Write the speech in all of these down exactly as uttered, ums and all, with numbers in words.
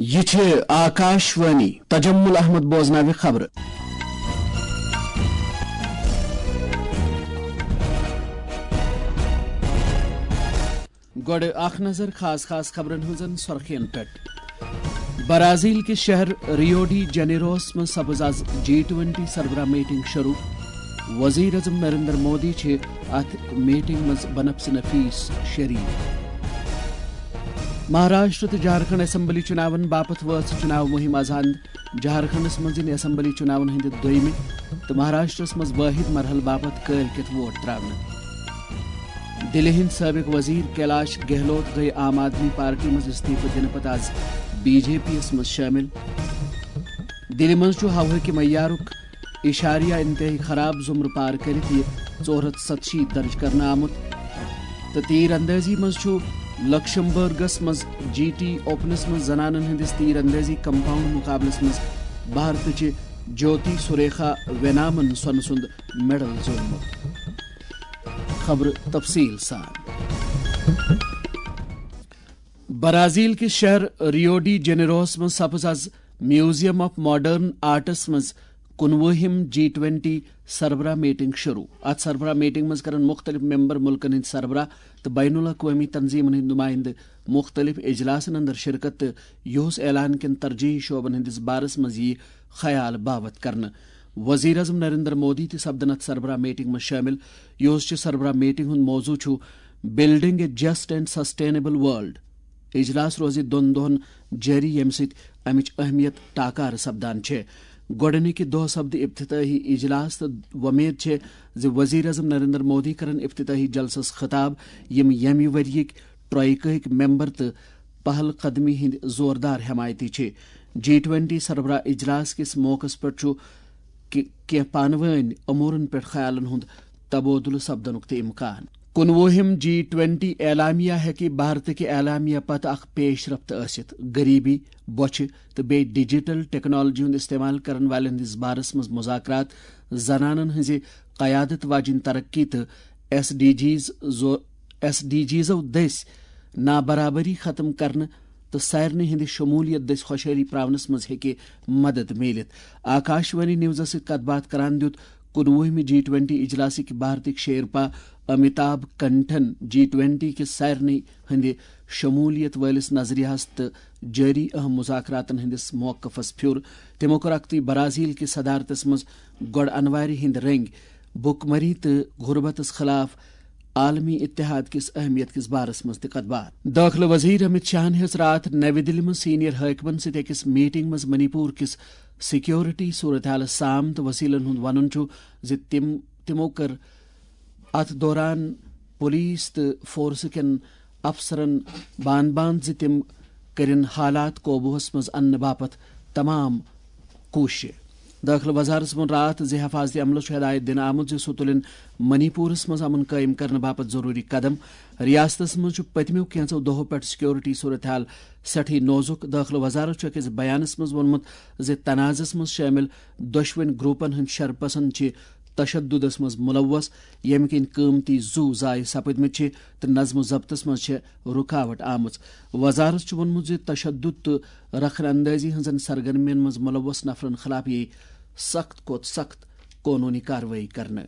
یہِ چھِ آکاش وانی۔ تجمل احمد بوزناوِ خبرٕ۔ گۄڈٕ اکھ نظر خاص خاص خبرن ہٕنٛزن سرخین پٮ۪ٹھ۔ برازیل کِس شہر ریو ڈی جنیروس منٛز سپٕز آز جی ٹوینٹی سربراہ میٹنگ شروع۔ وزیر اعظم نریندر مودی چھِ اتھ میٹنگ منٛز بنفسِ نفیس شریک۔ مہاراشٹر تہٕ جھارکھنڈ اسمبلی چُناون باپتھ وٲژ چُناو مُہِم از ہند۔ جھارکھنڈس منٛز یِن اسمبلی چُناون ہٕنٛدِ دوٚیمہِ تہٕ مہاراشٹرس منٛز وٲحد مرحلہٕ باپتھ کٲلۍ کٮ۪تھ ووٹ تراونہٕ۔ دِلہِ ہٕنٛدۍ سٲبِق وزیر کیلاش گہلوت گٔیہِ عام آدمی پارٹی منٛز استعفہٕ دِنہٕ پتہٕ از بی جے پی یس منٛز شٲمِل۔ دِلہِ منٛز چھُ ہوہٕکہِ معیارُک اشاریہ انتہٲئی خراب زمرٕ پار کٔرِتھ یہِ ژور ہتھ ستشیٖتھ درج کرنہٕ آمُت۔ تہٕ تیٖر اندٲزی منٛز چھُ لکشمبرگس منٛز جی ٹی اوپنس منٛز زنانن ہٕنٛدِس تیٖر اندٲزی کمپاؤنڈ مقابلس منٛز بھارتٕچہِ جیوتی سریکھا وینامن سۄنہٕ سُنٛد میڈل زیوٗنمُت۔ خبرٕ تفصیٖل سان۔ برازیل کِس شہر ریو ڈی جنیروہس منٛز سپٕز از میوزیم آف ماڈرن آرٹس منٛز کُنوُہِم جی ٹوینٹی سربراہ میٹنگ شروع۔ اتھ سربراہ میٹنگ منٛز کرن مُختٔلِف ممبر مُلکن ہٕنٛدۍ سربراہ تہٕ بین الاقوٲمی تنظیمن ہٕنٛدۍ نُمٲیندٕ مُختٔلِف اجلاسن اندر شرکت تہٕ یِہُس اعلان کٮ۪ن ترجیحی شعبن ہٕنٛدِس بارس منٛز یِیہِ خیال باوت کرنہٕ۔ وزیر اعظم نریندر مودی تہِ سپدن اتھ سربراہ میٹنگ منٛز شٲمِل۔ یِہُس چہِ سربراہ میٹنگ ہُنٛد موضوع چھُ Building a Just and Sustainable World۔ اجلاس روزِ دۄن دۄہن جٲری، ییٚمہِ سۭتۍ امِچ اہمیت ٹاکارٕ سپدان چھےٚ۔ گۄڈٕنِکہِ دۄہ سپدِ افتتاحی اجلاس تہٕ وۄمید چھےٚ زِ وزیر اعظم نریندر مودی کرن افتتاحی جلسس خطاب، یِم ییٚمہِ ؤریِکۍ ٹرائیکاہٕکۍ ممبر تہٕ پہل قدمی ہٕنٛدۍ زوردار حمایتی چھِ۔ جی ٹوینٹی سربراہ اجلاس کِس موقعس پٮ۪ٹھ چھُ کہِ-، کینٛہہ پانہٕ وٲنۍ امورن پٮ۪ٹھ خیالن ہُنٛد تبادلہٕ سپدنُک تہِ امکان۔ کُنوُہِم جی ٹوینٹی اعلامیہ ہیٚکہِ بھارتٕکہِ اعلامیہ پتہٕ اکھ پیش رفت ٲسِتھ۔ غریبی، بۄچھِ تہٕ بیٚیہِ ڈیجیٹل ٹیکنالوجی ہُنٛد استعمال کرن والٮ۪ن ہٕنٛدِس بارس منٛز مذاکرات، زنانن ہٕنٛزِ قیادت واجیٚنۍ ترقی تہٕ ایس ڈی جیز زو-، ایس ڈی جیزو دٔسۍ نابرابری ختم کرنہٕ تہٕ سارنٕے ہٕنٛدِ شمولیت دٔسۍ خۄشحٲلی پراونس منٛز ہیٚکہِ مدد میٖلِتھ۔ آکاشوانی نیوزس سۭتۍ کتھ باتھ کران دیُت کُنوُہمہِ جی ٹوینٹی اجلاسٕکۍ بھارتٕکۍ شیرپا امیتابھ کنٹھن جی ٹوینٹی کِس سارنٕے ہٕنٛدِ شمولیت وٲلِس نظریہس تہٕ جٲری اہم مذاکراتن ہٕنٛدِس موقفس پھیُر۔ تِمو کوٚر اکھتُے برازیل کِس صدارتس منٛز گۄڈٕ انوارِ ہٕنٛدۍ رٔنگۍ، بُک مری تہٕ غربتس خلاف عالمی اتحاد کِس اہمیت کِس بارس منٛز تہِ کتھ باتھ۔ دٲخلہٕ وزیر امت شاہن ہیٚژ راتھ نوِ دِلہِ منٛز سینئر حٲکمن سۭتۍ أکِس میٹنگ منٛز منی پور کِس سیکیورٹی صورتحالس سام تہٕ وسیلن ہُنٛد ونُن چھُ زِ تِم، تِمو کٔر اتھ دوران پولیس تہٕ فورس کٮ۪ن افسرن بان بان زِ تِم کٔرِن حالات قوبوٗہس منٛز اننہٕ باپتھ تمام کوٗششہٕ۔ دٲخلہٕ وزارتَس ووٚن راتھ زِ حفاظتی عملَس چھُ ہدایت دِنہٕ آمُت زِ سُہ تُلِن منی پورَس منٛز امن قٲیِم کرنہٕ باپتھ ضروٗری قدم۔ ریاستَس منٛز چھُ پٔتمیو کینٛژو دۄہَو پٮ۪ٹھ سیکیورٹی صورتحال سٮ۪ٹھٕے نوزُک۔ دٲخلہٕ وزارت چھُ أکِس بیانَس منٛز ووٚنمُت زِ تنازَس منٛز شٲمِل دۄشوٕنۍ گروپَن ہٕنٛدۍ شرپسند چھِ تشددس منٛز ملوث، ییٚمہِ کِنۍ قۭمتی زُو ضایع سپٕدمٕتۍ چھِ تہٕ نظم و ضبطس منٛز چھےٚ رُکاوٹ آمٕژ۔ وزارت چھُ ووٚنمُت زِ تشدد تہٕ رخن اندٲزی ہٕنٛزن سرگرمین منٛز ملوث نفرن خلاف یِیہِ سخت کھۄتہٕ سخت قونوٗنی کاروٲیی کرنہٕ۔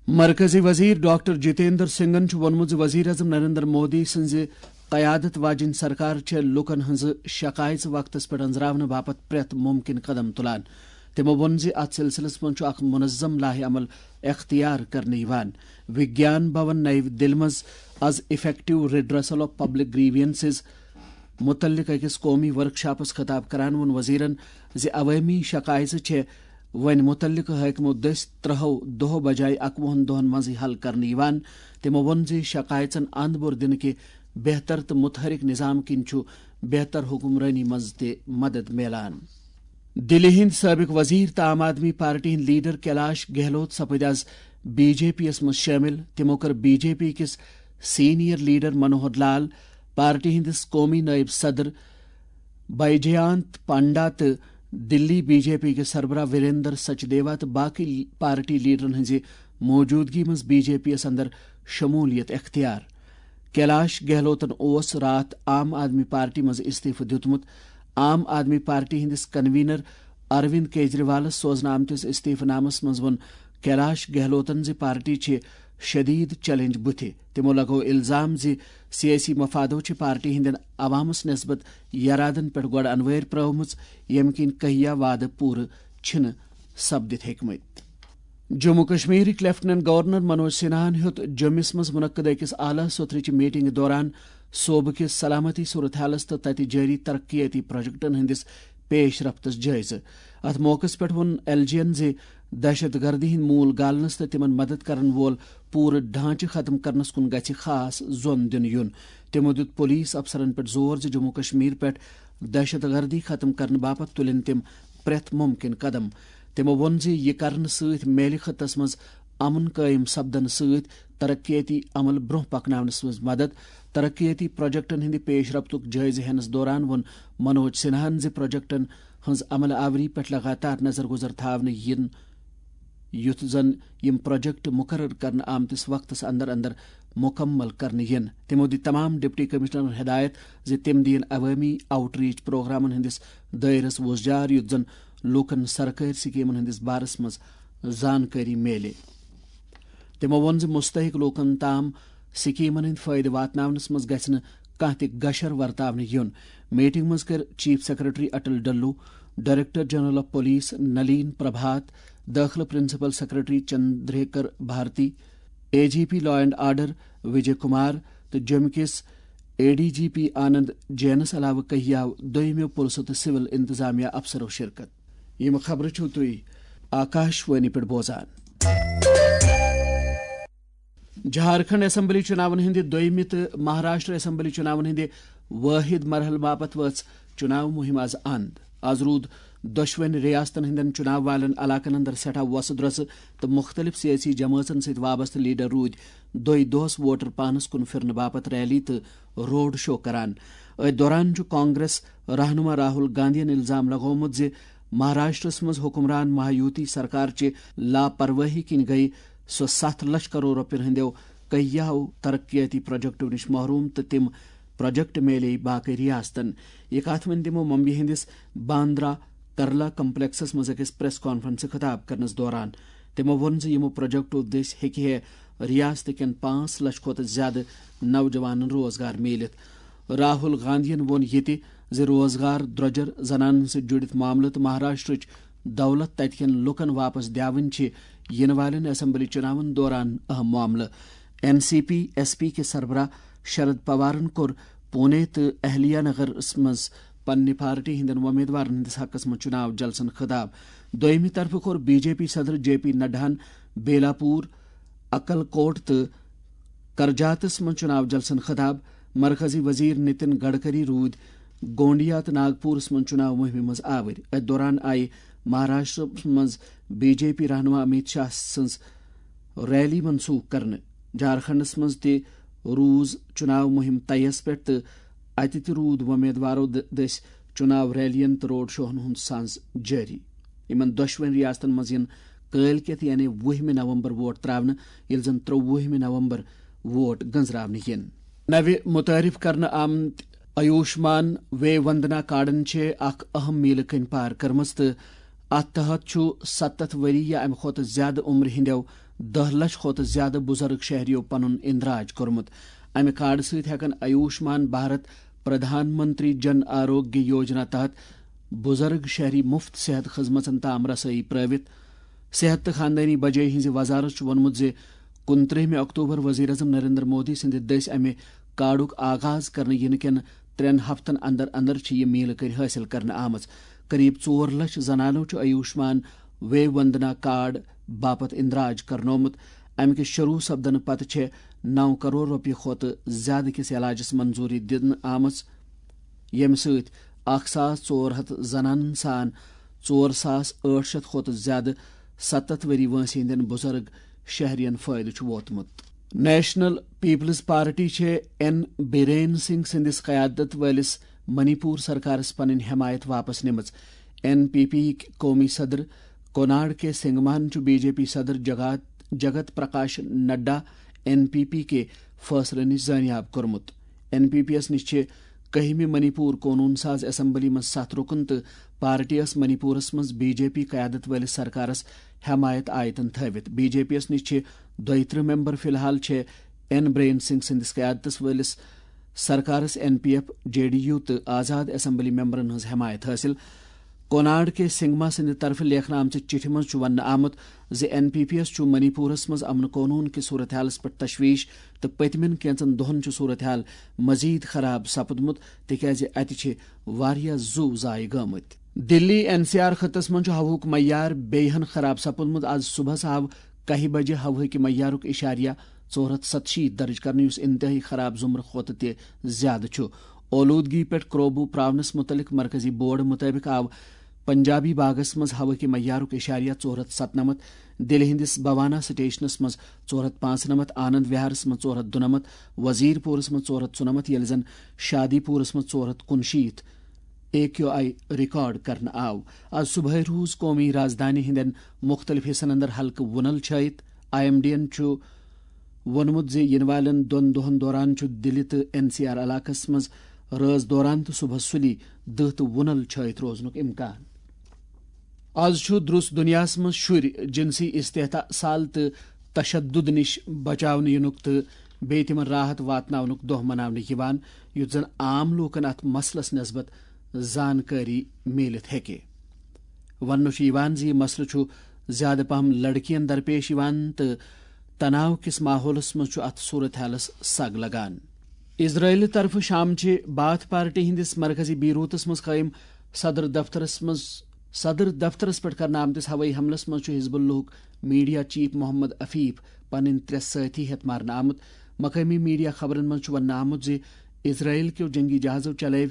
مرکزی وزیر ڈاکٹر جتیندر سنگھن چھُ ووٚنمُت زِ وزیر اعظم نریندر مودی سٕنٛزِ قیادت واجیٚنۍ سرکار چھےٚ لوٗکن ہٕنٛزٕ شکایژٕ وقتس پٮ۪ٹھ أنٛزراونہٕ باپتھ پرٛٮ۪تھ مُمکِن قدم تُلان۔ تِمو ووٚن زِ اتھ سلسلس منٛز چھُ اکھ منظم لائحہ عمل اختیار کرنہٕ یِوان۔ وگیان بھون نئی دِلہِ منٛز از Effective Redressal of Public Grievances متعلق أکِس قومی ورکشاپس خطاب کران ووٚن وزیرن زِ عوٲمی شکایژٕ چھےٚ وۄنۍ متعلقہٕ حٲکمو دٔسۍ ترٛہو دۄہو بجایہِ اکوُہن دۄہن منٛزٕے حل کرنہٕ یِوان۔ تِمو ووٚن زِ شکایژن اند بور دِنہٕ کہِ بہتر تہٕ متحرک نظام کِنۍ چھُ بہتر حکمرٲنی منٛز تہِ مدد میلان۔ دِلہِ ہٕنٛدۍ سٲبِق وزیر تہٕ عام آدمی پارٹی ہٕنٛدۍ لیڈر کیلاش گہلوت سپٕدۍ از بی جے پی یَس منٛز شٲمِل۔ تِمو کٔر بی جے پی کِس سینئر لیڈر منوہر لال، پارٹی ہٕنٛدِس قومی نٲیِب صدر بیجیانت پانڈا تہٕ دِلی بی جے پی کِس سربراہ وریندر سچدیوا تہٕ باقٕے پارٹی لیڈرن ہٕنٛزِ موجودگی منٛز بی جے پی یَس اندر شمولیت اختیار۔ کیلاش گہلوتن اوس راتھ عام آدمی پارٹی منٛز استعفہٕ دیُتمُت۔ عام آدمی پارٹی ہٕنٛدِس کنوینر اروند کیجریوالس سوزنہٕ آمتِس استعفہٕ نامس منٛز ووٚن کیلاش گہلوتن زِ پارٹی چھِ شدید چیلنج بُتھِ۔ تِمو لگوو الزام زِ سیٲسی مفادو چھِ پارٹی ہٕنٛدٮ۪ن عوامس نسبت یرادن پٮ۪ٹھ گۄڈٕ انوٲرۍ پرٲومٕژ، ییٚمہِ کِنۍ کہیا وعدٕ پوٗرٕ چھِنہٕ سپدِتھ ہیٚکمٕتۍ۔ جموں کشمیرٕکۍ لیفٹیننٹ گورنر منوج سنہاہن ہیوٚت جوٚمِس منٛز منعقد أکِس اعلیٰ سطرٕچہِ میٹنگہِ دوران صوبہٕ کِس سلامتی صورتحالس تہٕ تَتہِ جٲری ترقیتی پروجیکٹن ہٕنٛدِس پیش رفتس جٲیزٕ۔ اتھ موقعس پٮ۪ٹھ ووٚن ایل جی ین زِ دہشت گردی ہٕنٛدۍ موٗل گالنس تہٕ تِمن مدد کرن وول پوٗرٕ ڈھانچہٕ ختم کرنس کُن گژھِ خاص زون دِنہٕ یُن۔ تِمو دیُت پولیس افسرن پٮ۪ٹھ زور زِ جموں کشمیر پٮ۪ٹھ دہشت گردی ختم کرنہٕ باپتھ تُلِن تِم پرٛٮ۪تھ مُمکِن قدم۔ تِمو ووٚن زِ یہِ کرنہٕ سۭتۍ میلہِ خطس منٛز امن قٲیِم سپدنہٕ سۭتۍ ترقیتی عمل برونٛہہ پکناونس منٛز مدد۔ ترقیتی پروجیکٹن ہٕنٛدِ پیش رفتُک جٲیزٕ ہینس دوران ووٚن منوج سنہاہن زِ پروجیکٹن ہٕنٛز عمل آوری پٮ۪ٹھ لگاتار نظر گزر تھاونہٕ یِن، یُتھ زن یِم پروجیکٹ مقرر کرنہٕ آمتِس وقتس اندر اندر مکمل کرنہٕ یِن۔ تِمو دِتۍ تمام ڈپٹی کمشنرن ہدایت زِ تِم دِیِن عوٲمی آؤٹ ریچ پروگرامن ہٕنٛدِس دٲیرس وۄزجار، یُتھ زن لوٗکن سرکٲرۍ سکیمن ہٕنٛدِس بارس منٛز زانکٲری میلہِ۔ تِمو ووٚن زِ مستحق لوٗکن تام سکیمن ہٕنٛدۍ فٲیدٕ واتناونس منٛز گژھِ نہٕ کانٛہہ تہِ گشر ورتاونہٕ یُن۔ میٹنگ منٛز کٔر chief secretary Atal Dulloo, director general of police Nalin Prabhat, دٲخلہٕ principal secretary Chandraker Bharti, A G P law and order Vijay Kumar تہٕ جوٚمہِ کِس A D G P Anand جینس علاوٕ کہیاو دوٚیمٮ۪و پُلسہٕ تہٕ سول انتظامیہ افسرو شرکت۔ یِم خبرٕ چھِو تُہۍ آکاش وانی پٮ۪ٹھ بوزان۔ جھارکھنڈ اسمبلی چُناون ہٕنٛدِ دوٚیمہِ تہٕ مہاراشٹر اسمبلی چُناون ہٕنٛدِ وٲحد مرحلہٕ باپتھ وٲژ چُناو مُہِم از اند۔ از روٗد دۄشوٕنۍ ریاستن ہٕنٛدٮ۪ن چُناو والٮ۪ن علاقن اندر سٮ۪ٹھاہ وۄسہٕ درۄسہٕ تہٕ مُختٔلِف سیٲسی جمٲژن سۭتۍ وابستہٕ لیڈر روٗدۍ دۄہے دۄہس ووٹر پانس کُن پھِرنہٕ باپتھ ریلی تہٕ روڈ شو کران۔ أتھۍ دوران چھُ کانگریس رہنما راہل گاندھین الزام لگومُت زِ مہاراشٹرس منٛز حکمران مہایوتی سرکار چہِ لاپرواہی کِنۍ گٔیہِ سۄ ستھ لچھ کرور رۄپین ہٕنٛدیو کہیاہو ترقیاتی پروجیکٹو نِش محروم تہٕ تِم پروجیکٹ میلے باقٕے ریاستن۔ یہِ کتھ ؤنۍ تِمو ممبیہِ ہٕنٛدِس باندرا کرلا کمپلیکسس منٛز أکِس پریس کانفرنسہٕ خطاب کرنس دوران۔ تِمو ووٚن زِ یِمو پروجیکٹو دٔسۍ ہیٚکہِ ہے ریاست کٮ۪ن پانٛژھ لچھ کھۄتہٕ زیادٕ نوجوانن روزگار میٖلِتھ۔ راہل گاندھین ووٚن یہِ تہِ زِ روزگار، درۄجر، زنانن سۭتۍ جُڑِتھ معاملہٕ تہٕ مہاراشٹرٕچ دولت تتہِ کٮ۪ن لوٗکن واپس دیاوٕنۍ چھِ یِنہٕ والٮ۪ن اسمبلی چُناون دوران اہم معاملہٕ۔ N C P S P کِس سربراہ شرد پوارن کوٚر پونے تہٕ اہلیا نگرس منٛز پننہِ پارٹی ہٕنٛدٮ۪ن وۄمیدوارن ہٕنٛدِس حقس منٛز چُناو جلسن خطاب۔ دوٚیمہِ طرفہٕ کوٚر بی جے پی صدر جے پی نڈاہن بیلاپور، اکل کوٹ تہٕ کرجاتس منٛز چُناو جلسن خطاب۔ مرکزی وزیر نتن گڈکری روٗدۍ گونڈیا تہٕ ناگپورس منٛز چُناو مُہمہِ منٛز آوٕرۍ۔ أتھۍ دوران آیہِ مہاراشٹرس منٛز بی جے پی رہنما امیت شاہ سٕنٛز ریلی منسوخ کرنہٕ۔ جھارکھنڈس منٛز تہِ روٗز چُناو مُہِم طیَس پٮ۪ٹھ تہٕ اَتہِ تہِ روٗد وۄمیدوارو د-، دٔسۍ چُناو ریلین تہٕ روڈ شوہن ہُنٛد سانز جٲری۔ یِمن دۄشوٕنۍ ریاستن منٛز یِن کٲلۍ کٮ۪تھ یعنی وُہمہِ نومبر ووٹ تراونہٕ، ییٚلہِ زن ترٛۆوُہمہِ نومبر ووٹ گٔنزراونہٕ یِن۔ نوِ متعارف کرنہٕ آمتۍ آیوشمان وے وندنا کارڈن چھِ اکھ اہم میلہٕ کٔنۍ پار کٔرمٕژ تہٕ اتھ تحت چھُ ستتھ ؤری یا امہِ کھۄتہٕ زیادٕ عمرِ ہٕنٛدیو دہ لچھ کھۄتہٕ زیادٕ بُزرگ شہریو پنُن اندراج کوٚرمُت۔ امہِ کارڈ سۭتۍ ہٮ۪کن آیوشمان بھارت پردھان منتری جن آروگیہ یوجنا تحت بُزرگ شہری مفت صحت خدمژن تام رسٲیی پرٲوِتھ۔ صحت تہٕ خاندٲنی بجٲے ہٕنٛزِ وزارت چھُ ووٚنمُت زِ کُنترٛہمہِ اکتوبر وزیر اعظم نریندر مودی سٕنٛدِ دٔسۍ امہِ کارڈُک آغاز کرنہٕ یِنہٕ کٮ۪ن ترٛٮ۪ن ہفتن اندر اندر چھِ یہِ میلہٕ کٔرۍ حٲصِل کرنہٕ آمٕژ۔ قریب ژور لچھ زنانو چھُ آیوشمان وے وندنا کارڈ باپتھ اندراج کرنومُت۔ امہِ کہِ شروع سپدنہٕ پتہٕ چھےٚ نو کرور رۄپیہِ کھۄتہٕ زیادٕ کِس علاجس منظوٗری دِنہٕ آمٕژ، ییٚمہِ سۭتۍ اکھ ساس ژور ہتھ زنانن سان ژور ساس ٲٹھ شتھ کھۄتہٕ زیادٕ ستتھ ؤری وٲنٛسہِ ہٕنٛدٮ۪ن بُزرگ شہرین فٲیدٕ چھُ ووتمُت۔ نیشنل پیپلز پارٹی چھےٚ این بیرین سنگھ سٕنٛدِس قیادت وٲلِس منی پور سرکارس پنٕنۍ حمایت واپس نِمٕژ۔ این پی پی یِکۍ قومی صدر کوناڈ کے سنگمان چھُ بی جے پی صدر Jagat, Jagat Prakash Nadda N P P کے فٲصلہٕ نِش زٲنیاب کوٚرمُت۔ این پی پی یَس نِش چھِ کٔہمہِ منی پور قونوٗن ساز اسمبلی منٛز ستھ رُکُن تہٕ پارٹی ٲس منی پورس منٛز بی جے پی قیادت وٲلِس سرکارس حمایت آیتن تھٲوِتھ۔ بی جے پی یس نِش چھِ دۄیہِ ترٕٛہ ممبر، فی الحال چھِ این برین سنگھ سٕنٛدِس قیادتس وٲلِس سرکارس N P F, J D U تہٕ آزاد اسمبلی ممبرن ہٕنٛز حمایت حٲصِل۔ کوناڈ کے سنگما سٕنٛدِ طرفہٕ لیکھنہٕ آمژِ چِٹھِ منٛز چھُ وننہٕ آمُت زِ این پی پی یس چھُ منی پورس منٛز امن قونوٗن کِس صورتحالس پٮ۪ٹھ تشویش تہٕ پٔتمٮ۪ن کینٛژن دۄہن چھُ صورتحال مزید خراب سپُدمُت، تِکیازِ اتہِ چھِ واریاہ زُو ضایع گٲمٕتۍ۔ دِلی این سی آر خطس منٛز چھُ ہوہُک معیار بیٚیہِ ہن خراب سپُدمُت۔ از صبحس آو کاہہِ بجہِ ہوہٕکہِ معیارُک اشاریہ ژور ہتھ ستشیٖتھ درج کرنہٕ، یُس انتہٲئی خراب زمرٕ کھۄتہٕ تہِ زیادٕ چھُ۔ اولودگی پٮ۪ٹھ قوبوٗ پراونس متعلق مرکزی بورڈ مطٲبق آو پنجابی باغس منٛز ہوہٕکہِ معیارُک اشاریہ ژور ہتھ ستنمتھ، دِلہِ ہٕنٛدِس بھوانا سٹیشنس منٛز ژور ہتھ پانٛژنمتھ، آنند وہارس منٛز ژور ہتھ دُنمتھ، وزیر پورس منٛز ژور ہتھ ژُنمتھ، ییٚلہِ زن شادی پورس منٛز ژور ہتھ کُنشیٖتھ اے کیو آئی ریکارڈ کرنہٕ آو۔ از صبحٲے روٗز قومی رازدانی ہٕنٛدٮ۪ن مُختٔلِف حصن اندر ہلکہٕ وُنل چھٲیِتھ۔ آئی ایم ڈی ین چھُ ووٚنمُت زِ یِنہٕ والٮ۪ن دۄن دۄہَن دوران چھُ دِلہِ تہٕ این سی آر علاقَس منٛز رٲژ دوران تہٕ صبحَس سُلی دٕہ تہٕ وُنَل چھٲیِتھ روزنُک اِمکان۔ آز چھُ درُس دُنیاہَس منٛز شُرۍ جنسی استحصال تہٕ تشدد نِش بچاونہٕ یِنُک تہٕ بیٚیہِ تِمَن راحت واتناونُک دۄہ مناونہٕ یِوان، یُتھ زَن عام لوٗکَن اَتھ مسلَس نسبت زانکٲری میٖلِتھ ہیٚکہِ۔ وننہٕ چھُ یِوان زِ یہِ مسلہٕ چھُ زیادٕ پہم لڑکین درپیش یِوان تہٕ تناو کِس ماحولس منٛز چھُ اتھ صورت حالس سگ لگان۔ اسرائیل طرفہٕ شامچہِ باتھ پارٹی ہٕنٛدِس مرکزی بیروتس منٛز قٲیِم صدر دفترس منٛز، صدر دفترس پٮ۪ٹھ کرنہٕ آمتِس ہوٲیی حملس منٛز چھُ حزب اللہُک میڈیا چیف محمد عفیف پنٕنۍ ترٛےٚ سٲتھی ہٮ۪تھ مارنہٕ آمُت۔ مقٲمی میڈیا خبرن منٛز چھُ وننہٕ آمُت زِ اسرائیل کیو جنگی جہازو چلٲوۍ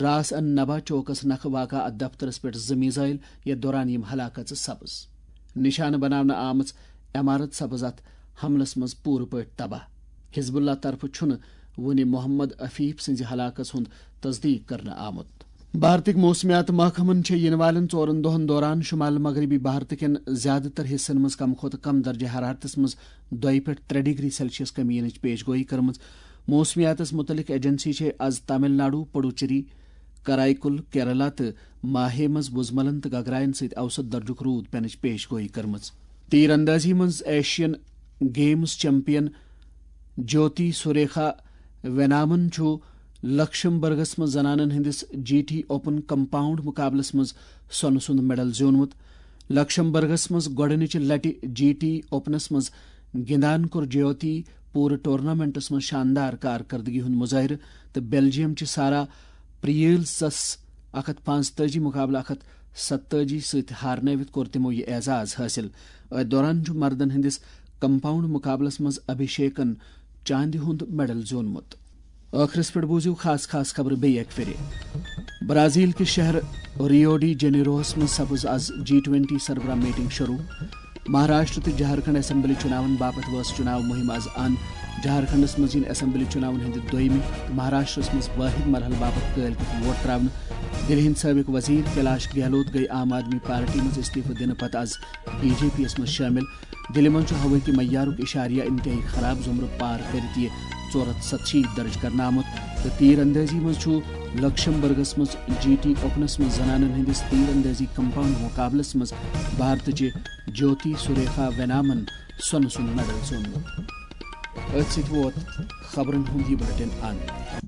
راس ان نبا چوکس نکھٕ واقع اتھ دفترس پٮ۪ٹھ زٕ میزائل، یتھ دوران یِم ہلاک گژھٕ سبز۔ نشانہٕ بناونہٕ آمٕژ عمارت سبز اتھ حملس منٛز پوٗرٕ پٲٹھۍ تباہ۔ حزب اللہ طرفہٕ چھُنہٕ وُنہِ محمد عفیف سٕنٛزِ ہلاکس ہُنٛد تصدیق کرنہٕ آمُت۔ بھارتٕکۍ موسمیات محکمن چھےٚ یِنہٕ والٮ۪ن ژورن دۄہن دوران شمال مغربی بھارتہٕ کٮ۪ن زیادٕ تر حصن منٛز کم کھۄتہٕ کم درجہ حرارتس منٛز دۄیہِ پٮ۪ٹھ ترٛےٚ ڈگری سیلسیس کمی یِنٕچ پیش گویی کٔرمٕژ۔ موسمیاتس متعلق ایجنسی چھےٚ از تامل ناڈو، پڈوچیری، کرائیکل، کیرلا تہٕ ماہے منٛز وُزملن تہٕ گگراین سۭتۍ اوسط درجُک روٗد پینٕچ پیش گویی کٔرمٕژ۔ تیر اندازی منٛز ایشین گیمز چیمپین جیوتی سوریخا وینامن چھُ لکشمبرگس منٛز زنانن ہٕنٛدِس جی ٹی اوپن کمپاؤنڈ مقابلس منٛز سۄنہٕ سُنٛد میڈل زیوٗنمُت۔ لکشمبرگس منٛز گۄڈٕنِچہِ لٹہِ جی ٹی اوپنس منٛز گِنٛدان کوٚر جیوتی پوٗرٕ ٹورنامنٹس منٛز شاندار کارکردگی ہُنٛد مظٲہرٕ تہٕ بیلجیم چہِ سارا پریلسس اکھ ہتھ پانٛژتٲجی مقابلہٕ اکھ ہتھ ستتٲجی سۭتۍ ہارنٲوِتھ کوٚر تِمو یہِ اعزاز حٲصِل۔ أتھۍ دوران چھُ مردن ہٕنٛدِس کمپاؤنڈ مقابلس منٛز ابھیشیکن چاندِ ہُنٛد میڈل زیوٗنمُت۔ ٲخرس پٮ۪ٹھ بوٗزِو خاص خاص خبرٕ بیٚیہِ اکہِ پھِرِ۔ برازیل کِس شہر ریو ڈی جنیروہس منٛز سپٕز از جی ٹوینٹی سربراہ میٹنگ شروع۔ مہاراشٹر تہٕ جھارکھنڈ اسمبلی چُناون باپتھ وٲژ چُناو مُہِم از اند۔ جھارکھنڈس منٛز یِن اسمبلی چُناون ہٕنٛدِ دوٚیمہِ تہٕ مہاراشٹرس منٛز وٲحد مرحلہٕ باپتھ کٲلۍ کٮ۪تھ ووٹ تراونہٕ۔ دِلہِ ہٕنٛدۍ سٲبِق وزیر کیلاش گہلوت گٔیہِ عام آدمی پارٹی منٛز استعفہٕ دِنہٕ پتہٕ از بی جے پی یس منٛز شٲمِل۔ دِلہِ منٛز چھُ ہوٲیی معیارُک اشاریہ انتہٲئی خراب زمرٕ پار کٔرِتھ یہِ ژور ہتھ ستشیٖتھ درج کرنہٕ آمُت تہٕ تیر اندٲزی منٛز چھُ لکشمبرگس منٛز جی ٹی اوپنس منٛز زنانن ہٕنٛدِس تیر اندٲزی کمپاؤنڈ مقابلس منٛز بھارتٕچہِ جیوتی سریخا وینامن سۄنہٕ سُنٛد میڈل زیوٗنمُت۔ أتھۍ سۭتۍ ووت خبرن ہُنٛد یہِ بلیٹن اند۔